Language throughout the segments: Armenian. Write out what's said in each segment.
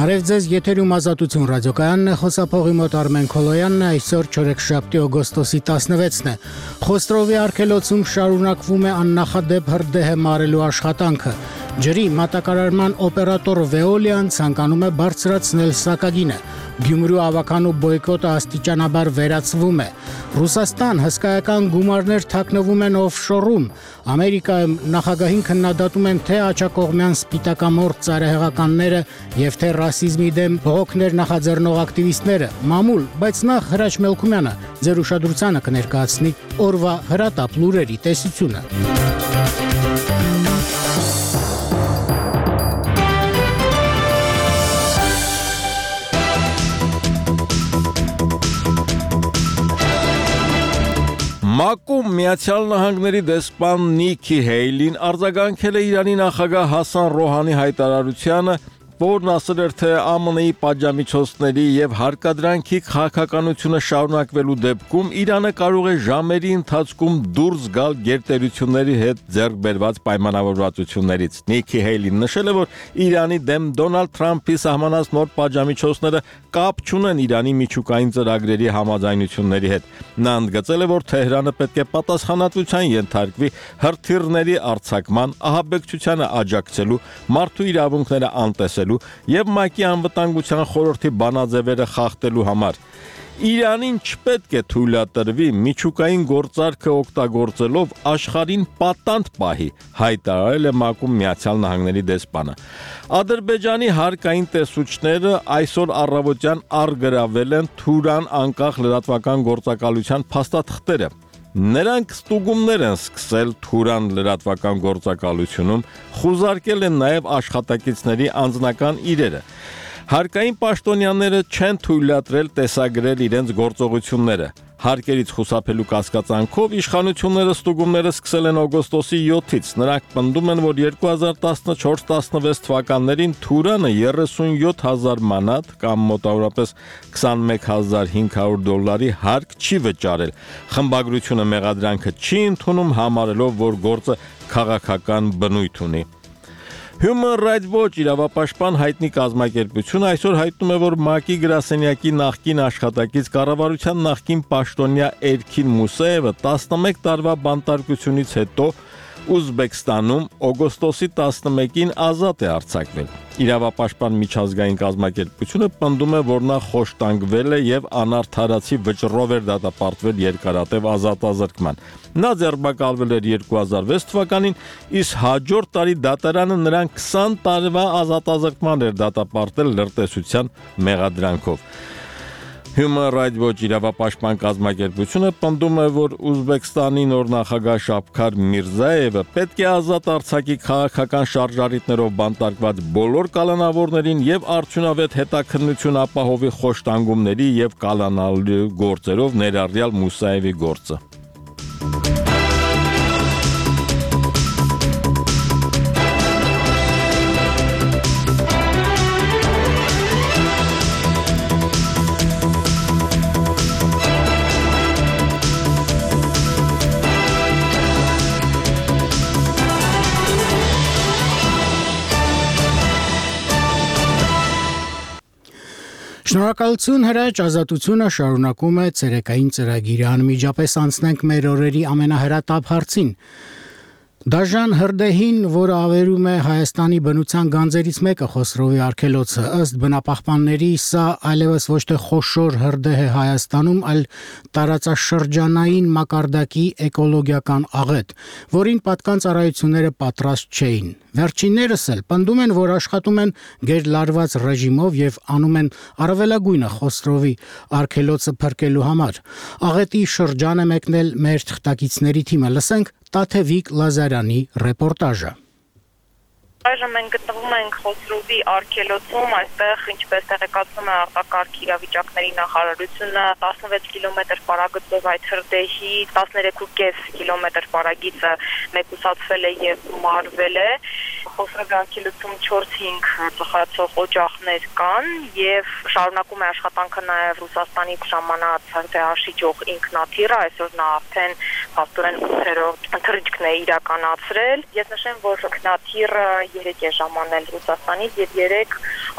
Բարև ձեզ, եթերում Ազատություն ռադիոկայանն է, խոսափողի մոտ Արմեն Քոլոյանն է, այսօր չորեքշաբթի օգոստոսի 16-ն է։ Խոստրովի արգելոցում շարունակվում է աննախադեպ հրդեհ մարելու աշխատանքը։ Ջրի մատակարարման օպերատոր Veolian ցանկանում է բարձրացնել սակագինը։ Գյումրու ավականու բոյկոտը աստիճանաբար վերացվում է։ Ռուսաստան հսկայական գումարներ թաքնվում են օֆշորում։ Ամերիկայում նախագահին քննադատում են թե աջակողմյան սպիտակամորթ ծայրահեղականները եւ թե ռասիզմի դեմ բողոքներ նախաձեռնող ակտիվիստները։ Մամուլ, բայց նախ Հրաչ Մելքումյանը ձեր ուշադրությանը կներկայացնի օրվա հրատապ լուրերի տեսությունը։ Մակում Միացյալ Նահանգների դեսպան Նիքի Հեյլին արձագանքել է Իրանի նախագահ Հասան Ռոհանի հայտարարությանը, որն ասել էր, թե ԱՄՆ-ի պատժամիջոցների եւ հարկադրանքի քաղաքականությունը շարունակվելու դեպքում Իրանը կարող է ժամերի ընթացքում դուրս գալ գերտերությունների հետ ձեռք բերված պայմանավորվածություններից։ Նիքի Հեյլին նշել է, որ Իրանի դեմ Դոնալդ Թրամփի սահմանած նոր պատժամիջոցները կապ չունեն Իրանի միջուկային ծրագրերի համաձայնությունների հետ։ Նա ընդգծել է, որ Թեհրանը պետք է պատասխանատվության ենթարկվի հրթիռների արձակման, ահաբեկչությանը աջակցելու, մարդու իրավունքները անտեսելու եւ ՄԱԿ-ի անվտանգության խորհրդի բանաձևերը խախտելու համար։ Իրանին չպետք է թույլատրվի միջուկային գործարքը օգտագործելով աշխարհին պատանդ պահի, հայտարարել է ՄԱԿ-ում Միացյալ Նահանգների դեսպանը։ Ադրբեջանի հարկային տեսուչները այսօր առավոտյան առգրավել են Թուրան անկախ լրատվական գործակալության փաստաթղթերը։ Նրանք ստուգումներ են սկսել Թուրան լրատվական գործակալությունում, խուզարկել են նաև աշխատակիցների անձնական իրերը։ Հարկային պաշտոնյաները չեն թույլատրել տեսագրել իրենց գործողությունները։ Հարկերից խուսափելու կասկածանքով իշխանությունները ստուգումները սկսել են օգոստոսի 7-ից։ Նրանք պնդում են, որ 2014-16 թվականներին Թուրանը 37,000 մանատ կամ մոտավորապես $21,500 հարկ չի վճարել։ Խմբագրությունը մեղադրանքը չի ընդունում, համարելով, որ գործը քաղաքական բնույթ ունի։ Human Rights Watch իրավապաշտպան հայտնի կազմակերպությունը այսօր հայտնում է, որ ՄԱԿ-ի գրասենյակի նախկին աշխատակից կառավարության նախկին պաշտոնյա Էրքին Մուսեևը 11 տարվա բանտարկությունից հետո Ուզբեկստանում օգոստոսի 11-ին ազատ է արձակվել։ Իրավապաշտպան միջազգային կազմակերպությունը պնդում է, որ նա խոշտանգվել է եւ անարդարացի վճռով էր դատապարտվել երկարատև ազատազրկման։ Նա ձերբակալվել էր 2006 թվականին, իսկ հաջորդ տարի դատարանը նրան 20 տարվա ազատազրկման էր դատապարտել լրտեսության մեղադրանքով։ Human Rights Watch իրավապաշտպան կազմակերպությունը պնդում է, որ Ուզբեկստանի նոր նախագահ Շավքաթ Միրզաևը պետք է ազատ արձակի քաղաքական շարժառիթներով բանտարկված բոլոր կալանավորներին եւ արդյունավետ հետաքննություն ապահովի խոշտանգումների եւ կալանալու գործերով, ներառյալ Մուսաևի գործը։ Շնորհակալություն Հրաչ, Ազատությունը շարունակում է ցերեկային ծրագիրը, անմիջապես անցնենք մեր օրերի ամենահրատապ հարցին։ Դաժան հրդեհին, որը ավերում է Հայաստանի բնության գանձերից մեկը Խոսրովի արգելոցը, ըստ բնապահպանների սա այլևս ոչ թե խոշոր հրդեհ է Հայաստանում, այլ տարածաշրջանային մակարդակի էկոլոգիական աղետ, որին պատկան ծառայությունները պատրաստ չէին։ Վերջիններս էլ պնդում են, որ աշխատում են գերլարված ռեժիմով եւ անում են առավելագույնը Խոսրովի արգելոցը փրկելու համար։ Աղետի շրջան է մեկնել մեր թղթակիցների թիմը։ Լսենք Տաթևիկ Լազարյանի ռեպորտաժը։ Այժմ մենք գտնվում ենք Խոսրովի արգելոցում, այստեղ ինչպես տեղեկացնում է արտակարգ իրավիճակների նախարարությունը 16 կիլոմետր պարագծով այդ հրդեհի 13.5 կիլոմետր պարագիծը մեկուսացվել է եւ մարվել է։ Խոսրովի արգելոցում 4-5 ծխացող օջախներ կան եւ շարունակում է աշխատանքը նաեւ Ռուսաստանի ժամանած հրդեհաշիջող ինքնաթիռը, այսօր նա արդեն փաստորեն 8-րդ թռիչքն է իրականացրել։ Ես նշեմ, որ ինքնաթիռը 3 է ժամանել Ռուսաստանից եւ 3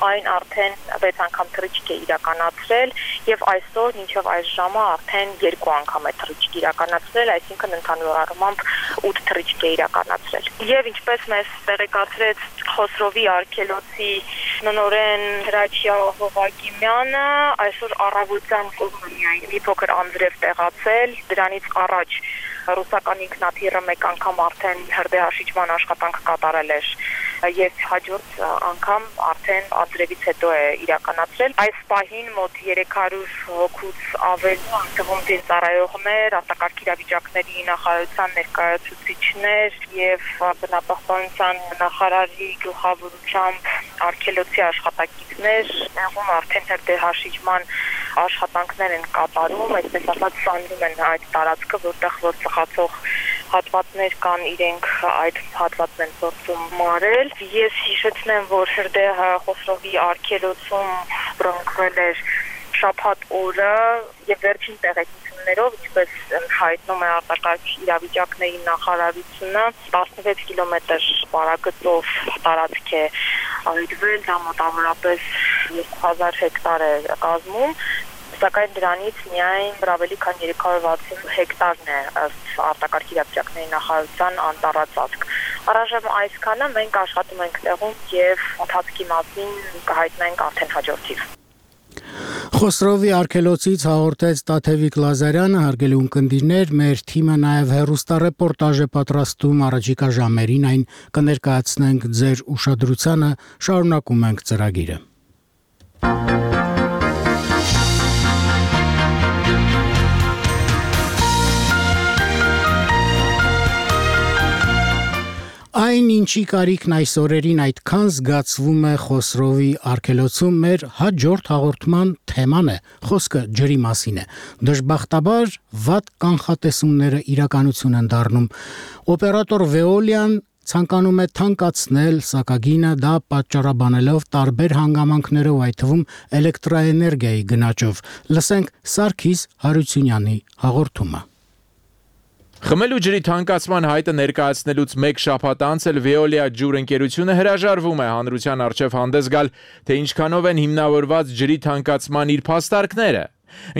այն արդեն 6 անգամ թռիչք է իրականացրել եւ այսօր մինչեւ այս ժամը արդեն 2 անգամ է թռիչք իրականացրել, այսինքն ընդհանուր առմամբ 8 թռիչք է իրականացրել։ Եվ ինչպես մեզ տեղեկացրեց Խոսրովի արգելոցի նորեն Հրաչյա Հովակիմյանը, այսօր առավոտյան կողմնիային մի փոքր անձրև տեղացել, դրանից առաջ ռուսական ինքնաթիռը մեկ անգամ արդեն հրդեհաշիջման աշխատանք կատարել էր եւ հաջորդ անգամ արդեն անձրևից հետո է իրականացրել։ Այս պահին մոտ 300 հոգուց ավել, թվում ծառայողներ, արտակարգ իրավիճակների նախարարության ներկայացուցիչներ եւ բնապահպանության նախարարի գլխավորությամբ արգելոցի աշխատակիցներ տեղում արդեն հրդեհաշիջման աշխատանքներ են կատարում, այսպես ասած սանրում են այդ տարածքը, որտեղ որ ծխացող հատվածներ կան, իրենք այդ հատվածն են փորձում մարել։ Ես հիշեցնեմ, որ հրդեհը Խոսրովի արգելոցում բռնկվել էր շաբաթ օրը եւ վերջին տեղեկություններով, ինչպես հայտնում է արտակարգ իրավիճակների նախարարությունը, 16 կիլոմետր բարագծով տարածք է այրվել, դա մոտավորապես 2000 հեկտար է կազմում, սակայն դրանից միայն ավելի քան 360 հեկտարն է ըստ արտակարգ իրավիճակների նախարարության անտառածածկ։ Առայժմ այսքանը մենք աշխատում ենք տեղում եւ ընթացքի մասին կհայտնենք արդեն հաջորդիվ։ Խոսրովի արգելոցից հաղորդեց Տաթևիկ Լազարյանը, հարգելի ունկնդիրներ, մեր թիմը նաև հեռուստառեպորտաժ է պատրաստում, առաջիկա ժամերին այն կներկայացնենք ձեր ուշադրությանը, շարունակում ենք ծրագիրը։ Այն ինչի կարիքն այս օրերին այդքան զգացվում է Խոսրովի արգելոցում, մեր հաջորդ հաղորդման թեման է, խոսքը ջրի մասին է։ Դժբախտաբար վատ կանխատեսումները իրականություն են դառնում։ Օպերատոր Veolia-ն ցանկանում է թանկացնել սակագինը, դա պատճառաբանելով տարբեր հանգամանքներով, այդ թվում էլեկտրաէներգիայի գնաճով։ Լսենք Սարգիս Հարությունյանի հաղորդումը։ Խմելու ջրի թանկացման հայտը ներկայացնելուց մեկ շաբաթ անց էլ Veolia ջուր ընկերությունը հրաժարվում է հանրության առջև հանդես գալ, թե ինչքանով են հիմնավորված ջրի թանկացման իր փաստարկները։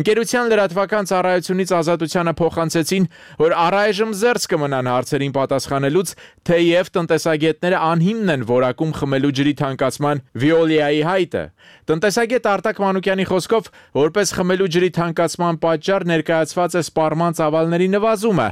Ընկերության լրատվական ծառայությունից Ազատությանը փոխանցեցին, որ առայժմ զերծ կմնան հարցերին պատասխանելուց, թեև տնտեսագետները անհիմն են որակում խմելու ջրի թանկացման Veolia-ի հայտը։ Տնտեսագետ Արտակ Մանուկյանի խոսքով, որպես խմելու ջրի թանկացման պատճառ ներկայացված է սպառման ծավալների նվազումը,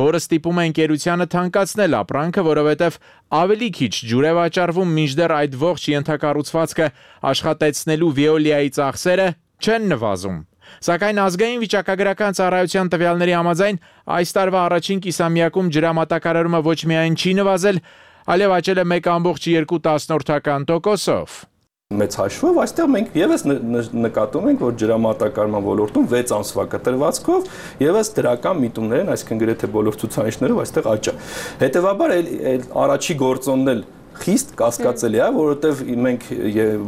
որը ստիպում է ընկերությանը թանկացնել ապրանքը, որովհետև ավելի քիչ ջուր է վաճառվում, մինչդեռ այդ ողջ ենթակառուցվածքը աշխատեցնելու Veolia-ի ծախսերը չեն նվազում։ Սակայն ազգային վիճակագրական ծառայության տվյալների համաձայն այս տարվա առաջին կիսամյակում ջրամատակարարումը ոչ միայն չի նվազել, այլև աճել է 1,4%-ով։ Մեծ հաշվով այստեղ մենք եւս նկատում ենք, որ ջրամատակարարման ոլորտում 6 ամսվա կտրվածքով եւս դրական միտումներ են, այսինքն գրեթե բոլոր ցուցանիշներով այստեղ աճ է։ Հետևաբար առաջի գործոնն էլ խիստ կասկածելի է, որովհետև մենք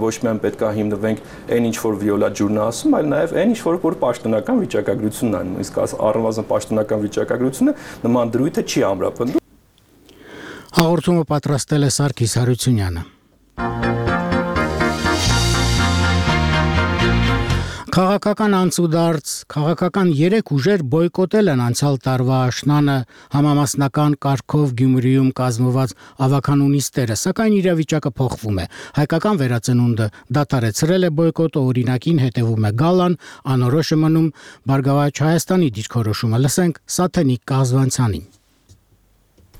ոչ միայն պետք է հիմնվենք այն ինչ որ Veolia ջուրն է ասում, այլ նաև այն ինչ որ պաշտոնական վիճակագրությունն է, իսկ առնվազն պաշտոնական վիճակագրությունը նման դրույթը չի ամրապնդում։ Հաղորդումը պատրաստել է Սարգիս Հարությունյանը։ Քաղաքական անցուդարձ, քաղաքական 3 ուժեր բոյկոտել են անցյալ տարվա աշնանը համամասնական կարգով Գյումրիում կազմված ավականունիստերը, սակայն իրավիճակը փոխվում է։ Հայկական վերածնունդը դադարեցրել է բոյկոտը, օրինակին հետևում է Գալան, անորոշ է մնում Բարգավաճ Հայաստանի դիրքորոշումը։ Լսենք Սաթենիկ Կազվանցյանին։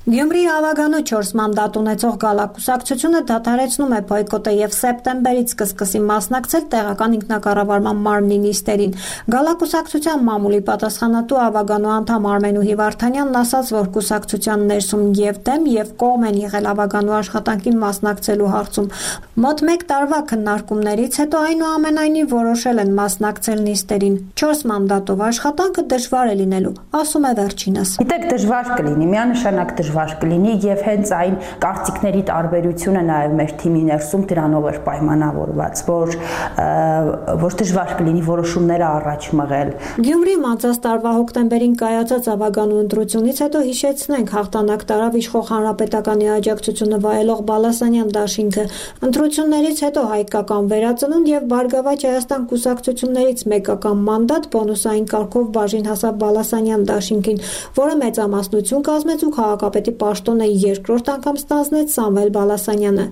Գյումրիի ավագանու 4 մանդատ ունեցող գալակուսակցությունը դադարեցնում է բոյկոտը եւ սեպտեմբերից կսկսի մասնակցել տեղական ինքնակառավարման մարմնի նիստերին։ Գալակուսակցության մամուլի պատասխանատու ավագանու անդամ Արմենուհի Վարդանյանն ասաց, որ կուսակցության ներսում եւ դեմ եւ կողմ են եղել ավագանու աշխատանքին մասնակցելու հարցում։ Մոտ 1 տարվա քննարկումներից հետո այնուամենայնիվ որոշել են մասնակցել նիստերին։ 4 մանդատով աշխատանքը դժվար է լինելու, ասում է վերջինս։ Գիտեք, դժվար կլինի, միանշանակ դժվար դժվար կլինի եւ հենց այն կարծիքների տարբերությունը նաեւ մեր թիմի ներսում դրանով էր պայմանավորված, որ դժվար կլինի որոշումները առաջ մղել։ Գյումրիում անցած տարվա հոկտեմբերին կայացած ավագանու ընտրությունից հետո հիշեցնենք հաղթանակ տարավ իշխող հանրապետականի աջակցությունը վայելող Բալասանյան դաշինքը։ Ընտրություններից հետո հայկական վերածնունդ եւ Բարգավաճ Հայաստան կուսակցություններից մեկական մանդատ բոնուսային կարգով բաժին հասավ Բալասանյան դաշինքին, որը մեծամասնություն կազմեց ու քաղաքապետի պաշտոնը երկրորդ անգամ ստանձնեց Սամվել Բալասանյանը։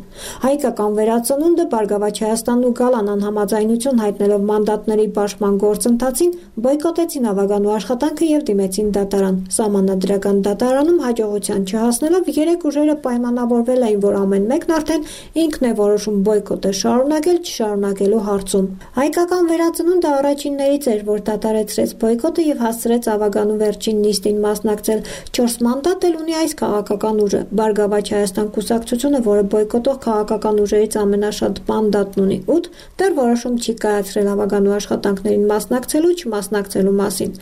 Հայկական վերածնունդը Բարգավաճ Հայաստանն ու Գալան անհամաձայնություն հայտնելով մանդատների բաշխման գործընթացին բոյկոտեցին ավագանու աշխատանքը եւ դիմեցին դատարան։ Սահմանադրական դատարանում հաջողության չհասնելով երեք ուժերը պայմանավորվել էին, որ ամեն մեկն արդեն ինքն է որոշում բոյկոտը շարունակել, չշարունակելու հարցում։ Հայկական վերածնունդը առաջիններից էր, որ դադարեցրեց բոյկոտը եւ հասցրեց ավագանու վերջին նիստին մասնակցել։ 4 մանդատ էլ ունի այս քաղաքական ուժը։ Բարգավաճ Հայաստան կուսակցությունը, որը բոյկոտող քաղաքական ուժերից ամենաշատ մանդատն ունի 8, դեռ որոշում չի կայացրել ավագանու աշխատանքներին մասնակցելու չմասնակցելու մասին։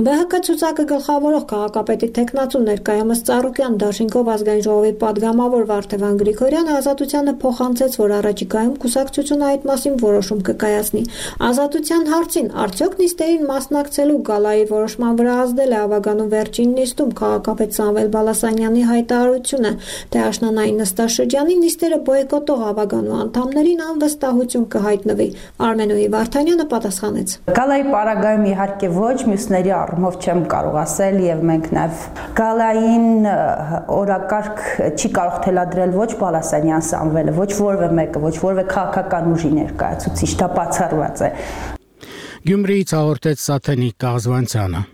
ԲՀԿ ցուցակը գլխավորող քաղաքապետի տեխնացու ներկայումս Ծառուկյան դաշինքով ազգային ժողովի падգամավոր Վարդևան Գրիգորյանը Ազատությանը փոխանցեց, որ առաջիկայում կուսակցությունը այդ մասին որոշում կկայացնի։ Ազատության հարցին արդյոք նիստերին մասնակցելու Գալայի որոշման վրա ազդել է ավագանու վերջին նիստում քաղաքապետ Սամվել Բալասանյանի հայտարարությունը, թե աշնանային նստաշրջանի նիստերը բոյկոտող ավագանու անդամներին անվստահություն կհայտնվի։ Արմենուհի Վարդանյանը պատասխանեց. Գալայի պարագայում իհարկե ոչ, մյուսների առումով չեմ կարող ասել եւ մենք նաեւ Գալային օրակարգ չի կարող թելադրել ոչ Բալասանյան Սամվելը, ոչ որևէ մեկը, ոչ որևէ քաղաքական ուժի ներկայացուցիչ, դա բացառված է։ Գյումրիից հաղորդեց Սաթենիկ Կազվանցյանը։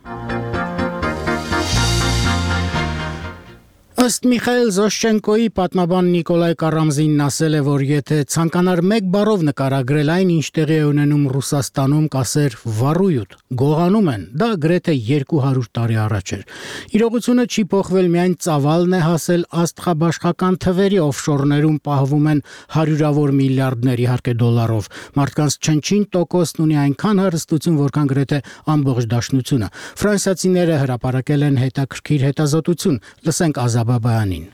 Ըստ Միխայել Զոշչենկոյի պատմաբան Նիկոլայ Կարամզինն ասել է, որ եթե ցանկանար մեկ բառով նկարագրել այն, ինչ տեղի է ունենում Ռուսաստանում, կասեր վառույթ, գողանում են, դա գրեթե 200 տարի առաջ էր։ Իրողությունը չի փոխվել, միայն ծավալն է հասել աստղաբաշխական թվերի, օֆշորներում պահվում են հարյուրավոր միլիարդներ, իհարկե դոլարով։ Մարդկանց չնչին տոկոսն ունի այնքան հարստություն, որքան գրեթե ամբողջ դաշնությունը։ Ֆրանսիացիները հրապարակել են հետաքրքիր հետազոտություն։ Լսենք Ազաբաբայանին։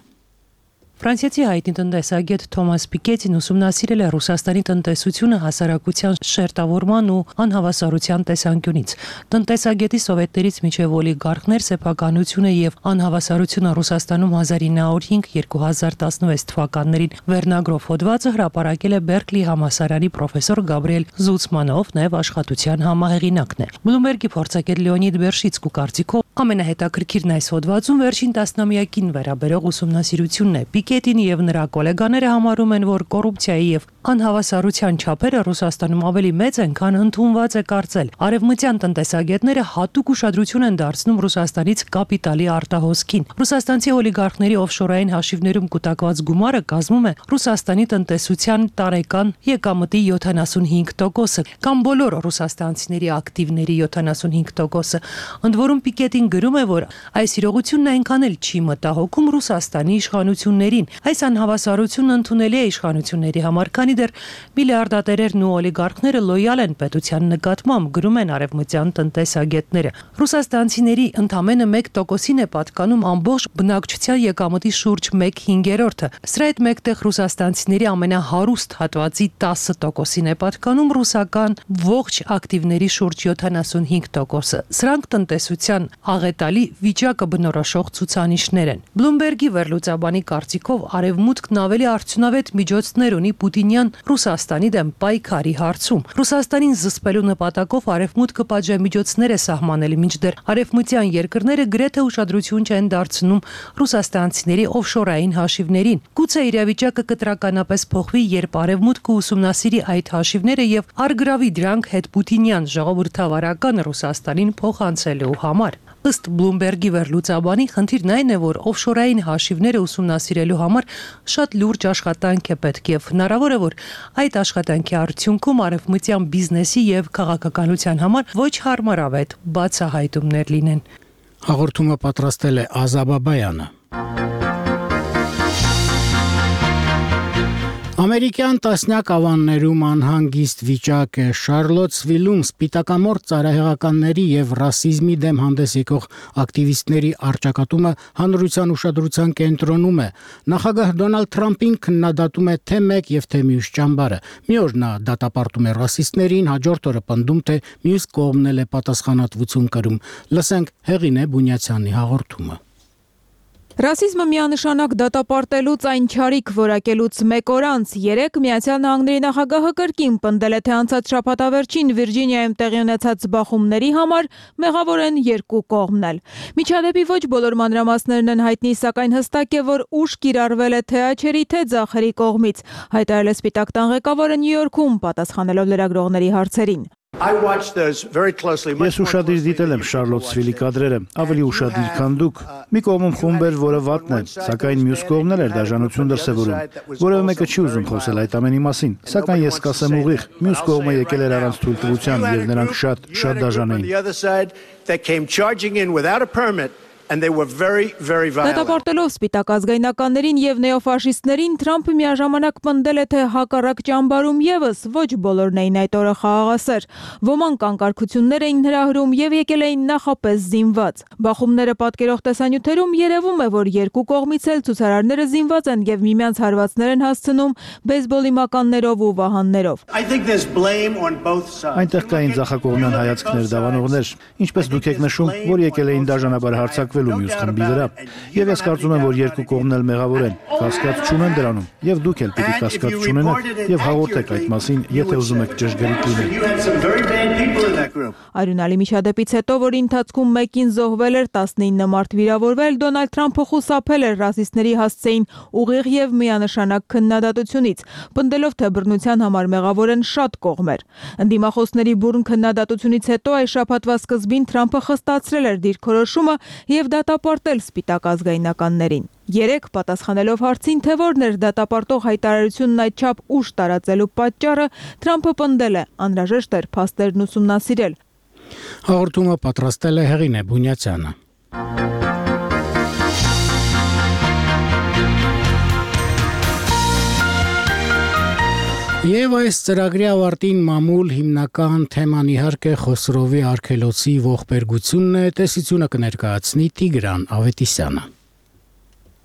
Ֆրանսիացի հայտնի տնտեսագետ Թոմաս Պիկետին ուսումնասիրել է Ռուսաստանի տնտեսությունը հասարակության շերտավորման ու անհավասարության տեսանկյունից։ Տնտեսագետի սովետներից մինչև օլիգարխներ սեփականությունը եւ անհավասարությունը Ռուսաստանում 1905-2016 թվականներին վերնագրով հոդվածը հրապարակել է Բերկլի համալսարանի պրոֆեսոր Գաբրիել Զուցմանով, նաեւ աշխատության համահեղինակն է։ Բլումբերգի փորձագետ Լեոնիդ Բերշիցկու կարծիքով ամենահետաքրքիրն այս հոդվածում վերջին տասնամյակին վերաբերող ուսումնասիրությունն է։ Պիկետին եւ նրա գոլեգաները համարում են, որ կոռուպցիայի եւ անհավասարության չափերը Ռուսաստանում ավելի մեծ են, քան ընդունված է կարծել։ Արևմտյան տնտեսագետները հատուկ ուշադրություն են դարձնում Ռուսաստանից կապիտալի արտահոսքին։ Ռուսաստանցի օլիգարխների օֆշորային հաշիվներում կուտակված գումարը կազմում է Ռուսաստանի տնտեսության տարեկան եկամտի 75%, կամ բոլոր ռուսաստանցիների ակտիվների 75%։ Ընդ որում Պիկետին գրում է, որ այս իրողությունն այնքան էլ չի մտահոգում Ռուսաստանի իշխանություններին։ Այս անհավասարությունն ընդունելի է իշխանությունների համար, քանի դեռ միլիարդատերերն ու օլիգարխները լոյալ են պետության նկատմամբ, գրում են արևմտյան տնտեսագետները։ Ռուսաստանցիների ընդամենը 1%-ին է պատկանում ամբողջ բնակչության եկամտի շուրջ 1/5-ը։ Սրա հետ մեկտեղ ռուսաստանցիների ամենահարուստ հատվածի 10%-ին է պատկանում ռուսական ողջ ակտիվների շուրջ 75%-ը։ Սրանք տնտեսության աղետալի վիճակը բնորոշող ցուցանիշներ են։ Բլումբերգի վերլուծաբանի կարծիքով արևմուտքն ավելի արդյունավետ միջոցներ ունի Պուտինյան Ռուսաստանի դեմ պայքարի հարցում։ Ռուսաստանին զսպելու նպատակով արևմուտքը պատժամիջոցներ է սահմանել, մինչդեռ արևմտյան երկրները գրեթե ուշադրություն չեն դարձնում ռուսաստանցիների օֆշորային հաշիվներին։ Գուցե իրավիճակը կտրականապես փոխվի, երբ արևմուտքը ուսումնասիրի այդ հաշիվները եւ արգրավի դրանք հետ Պուտինյան ժողովրդավարական Ռուսաստանին փոխանցելու համար։ Ըստ Բլումբերգի վերլուծաբանի, խնդիրն այն է, որ օֆշորային հաշիվները ուսումնասիրելու համար շատ լուրջ աշխատանք է պետք եւ հնարավոր է, որ այդ աշխատանքի արդյունքում արևմտյան բիզնեսի եւ քաղաքականության համար ոչ հարմարավետ բացահայտումներ լինեն։ Հաղորդումը պատրաստել է Ազաբաբայանը։ Ամերիկյան տասնյակ ավաններում անհանգիստ վիճակ է Շարլոտսվիլում սպիտակամորթ ծայրահեղականների եւ ռասիզմի դեմ հանդես եկող ակտիվիստների առճակատումը հանրության ուշադրության կենտրոնում է։ Նախագահ Դոնալդ Թրամփին քննադատում է թե մեկ եւ թե մյուս ճամբարը։ Մի օր նա դատապարտում է ռասիստներին, հաջորդ օրը պնդում թե մյուս կողմն էլ է պատասխանատվություն կրում։ Լսենք Հեղինե Բունյացյանի հաղորդումը։ Ռասիզմը միանշանակ դատապարտելուց այն չարիք որակելուց մեկ օր անց 3 Միացյալ Նահանգների նախագահը կրկին պնդել է, թե անցած շաբաթավերջին Վիրջինիայում տեղի ունեցած բախումների համար մեղավոր են երկու կողմն էլ։ Միջադեպի ոչ բոլոր մանրամասներն են հայտնի, սակայն հստակ է, որ ուժ կիրառվել է թե աչերի, թե ձախերի կողմից, հայտարարել է Սպիտակ տան ղեկավարը Նյու Յորքում, պատասխանելով լրագրողների հարցերին։ Ես ուշադիր դիտել եմ Շարլոտսվիլի կադրերը, ավելի ուշադիր, քան դուք։ Մի կողմում խումբ էր, որը վատն է, սակայն մյուս կողմն էլ էր դաժանություն դրսևորում։ Որևէ մեկը չի ուզում խոսել այդ ամենի մասին, սակայն ես կասեմ ուղիղ, մյուս կողմը եկել էր առանց թույլտվության եւ նրանք շատ դաժան էին։ Դատապարտելով Սպիտակ ազգայնականներին եւ նեոֆաշիստներին Թրամփը միաժամանակ պնդել է, թե հակառակ ճամբարում եւս ոչ բոլորն էին այդ օրը խաղաղասեր։ Ոմանք անկարգություններ էին հրահրում եւ եկել էին նախապես զինված։ Բախումները պատկերող տեսանյութերում երևում է, որ երկու կողմից էլ ցուցարարները զինված են եւ միմյանց հարվածներ են հասցնում բեյսբոլի մականներով ու վահաններով։ Այնտեղ կային ձախակողմյան հայացքներ, դավանողներ, ինչպես դուք եք նշում, որ եկել էին դաժանաբար հարձակվելու մյուս խմբի վրա։ Եվ ես կարծում եմ, որ երկու կողմն էլ մեղավոր են, կասկած չունեն դրանում, եւ դուք էլ պիտի կասկած չունենաք եւ հաղորդեք այդ մասին, եթե ուզում եք ճշգրիտ լինել։ Արյունալի միջադեպից հետո, որի ընթացքում մեկին զոհվել էր, 19 մարդ վիրավորվել, Դոնալդ Թրամփը խուսափել էր ռասիստների հասցեին ուղիղ եւ միանշանակ քննադատությունից, պնդելով, թե բռնության համար մեղավոր են շատ կողմեր։ Ընդդիմախոսների բուրն քննադատությունից հետո այս շաբաթվա սկզբին Թրամփը խստացրել էր դիրքորոշումը եւ դատապարտել Սպիտակ ազգայնականներին։ 3 պատասխանելով հարցին, թե որն էր դատապարտող հայտարարությունն այդչափ ուշ տարածելու պատճառը, Թրամփը պնդել է, անհրաժեշտ էր փաստերն ուսումնասիրել։ Հաղորդումը պատրաստել է Հեղինե Բունյացյանը։ Եվ այս ծրագրի ավարտին մամուլ հիմնական թեման իհարկե Խոսրովի արգելոցի ողբերգությունն է, տեսությունը կներկայացնի Տիգրան Ավետիսյանը։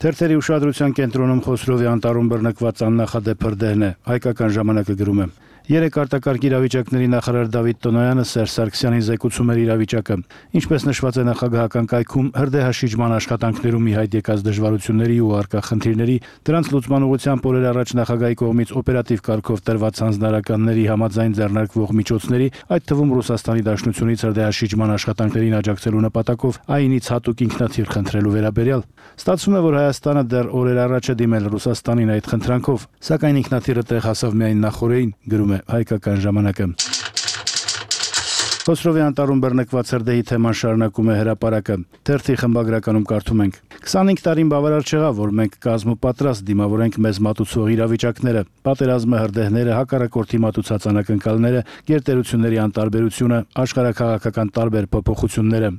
Թերթերի ուշադրության կենտրոնում Խոսրովի անտառում բռնկված աննախադեպ հրդեհն է, հայկական ժամանակը գրում է։ 3 արտակարգ իրավիճակների նախարար Դավիթ Տոնոյանը Սերժ Սարգսյանին զեկուցում էր իրավիճակը։ Ինչպես նշված է նախագահական կայքում, հրդեհաշիջման աշխատանքներում ի հայտ եկած դժվարությունների ու առկա խնդիրների, դրանց լուծման ուղղությամբ օրեր առաջ նախագահի կողմից օպերատիվ կարգով տրված հանձնարարականների համաձայն ձեռնարկվող միջոցների, այդ թվում Ռուսաստանի Դաշնությունից հրդեհաշիջման աշխատանքներին աջակցելու նպատակով ԱԻՆ-ից հատուկ ինքնաթիռ խնդրելու վերաբերյալ, ստացվում է, որ Հայաստանը դեռ օրեր առաջ է դիմել Ռուսաստանին այդ խնդրանքով, սակայն ինքնաթիռը տեղ հասավ միայն նախօրեին, գրում է հայկական ժամանակը։ Խոսրովի անտառում բռնկված հրդեհի թեման շարունակում է հրապարակը։ Թերթի խմբագրականում կարդում ենք. 25 տարին բավարար չեղավ, որ մենք կազմ ու պատրաստ դիմավորենք մեզ մատուցող իրավիճակները, պատերազմը, հրդեհները, հակառակորդի մատուցած անակնկալները, գերտերությունների անտարբերությունը, աշխարհաքաղաքական տարբեր փոփոխությունները։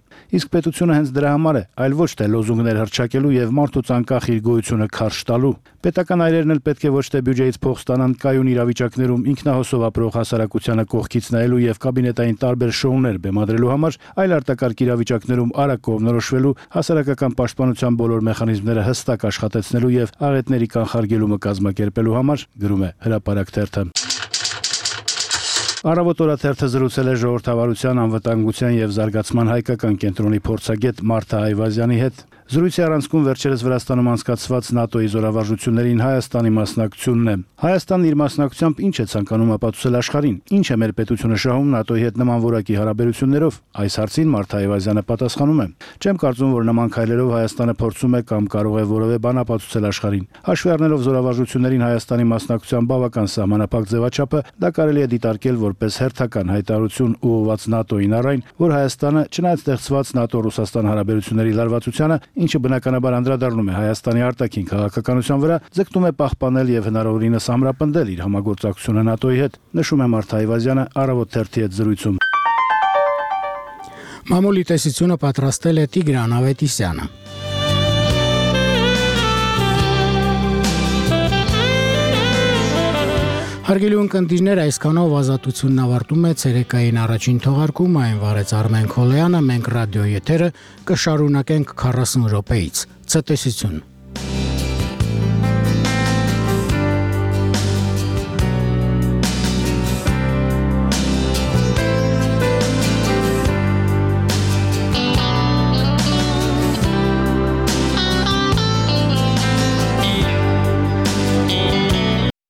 Իսկ պետությունը հենց դրա համար է, այլ ոչ թե լոզունգներ հռչակելու եւ մարդուց անկախ իր գոյությունը քարշ տալու։ Պետական այրերն էլ պետք է ոչ թե բյուջեից փող ստանան կայուն իրավիճակներում ինքնահոսով ապրող հասարակությանը կողքից նայելու եւ կաբինետային տարբեր շոուներ բեմադրելու համար, այլ արտակարգ իրավիճակներում արագ կողմնորոշվելու, հասարակական պաշտպանության բոլոր մեխանիզմները հստակ աշխատեցնելու եւ աղետների կանխարգելումը կազմակերպելու համար, գրում է հրապարակ թերթը։ Առավոտ օրաթերթը զրուցել է ժողովրդավարության, անվտանգության եւ զարգացման հայկական կենտրոնի փորձագետ Մարթա Այվազյանի հետ։ Զրույցի առանցքում վերջերս Վրաստանում անցկացված ՆԱՏՕ-ի զորավարժություններին Հայաստանի մասնակցությունն է։ Հայաստանն իր մասնակցությամբ ինչ է ցանկանում ապացուցել աշխարհին։ Ինչ է մեր պետությունը շահում ՆԱՏՕ-ի հետ նման որակի հարաբերություններով։ Այս հարցին Մարթա Այվազյանը պատասխանում է. Չեմ կարծում, որ նման քայլերով Հայաստանը փորձում է կամ կարող է որևէ բան ապացուցել աշխարհին։ Հաշվի առնելով զորավարժություններին Հայաստանի մասնակցության բավական սահմանափակ ձևաչափը, դա կարելի է դիտարկել որպես հերթական հայտարարություն ուղղված ՆԱՏՕ-ին առայն, որ Հայաստանը, չնայած ստեղծված ՆԱՏՕ-Ռուսաստան հարաբերությունների լարվածությանը, ինչը բնականաբար անդրադառնում է Հայաստանի արտաքին քաղաքականության վրա, ձգտում է պահպանել եւ հնարավորինս ամրապնդել իր համագործակցությունը ՆԱՏՕ-ի հետ, նշում է Մարթա Այվազյանը Առավոտ թերթի հետ զրույցում։ Մամուլի տեսությունը պատրաստել է Տիգրան Ավետիսյանը։ Հարգելի ունկնդիրներ, այսքանով ազատությունն ավարտում է ցերեկային առաջին թողարկումը, այն վարեց Արմեն Քոլոյանը, մենք ռադիո եթերը կշարունակենք 40 րոպեից։ Ցտեսություն։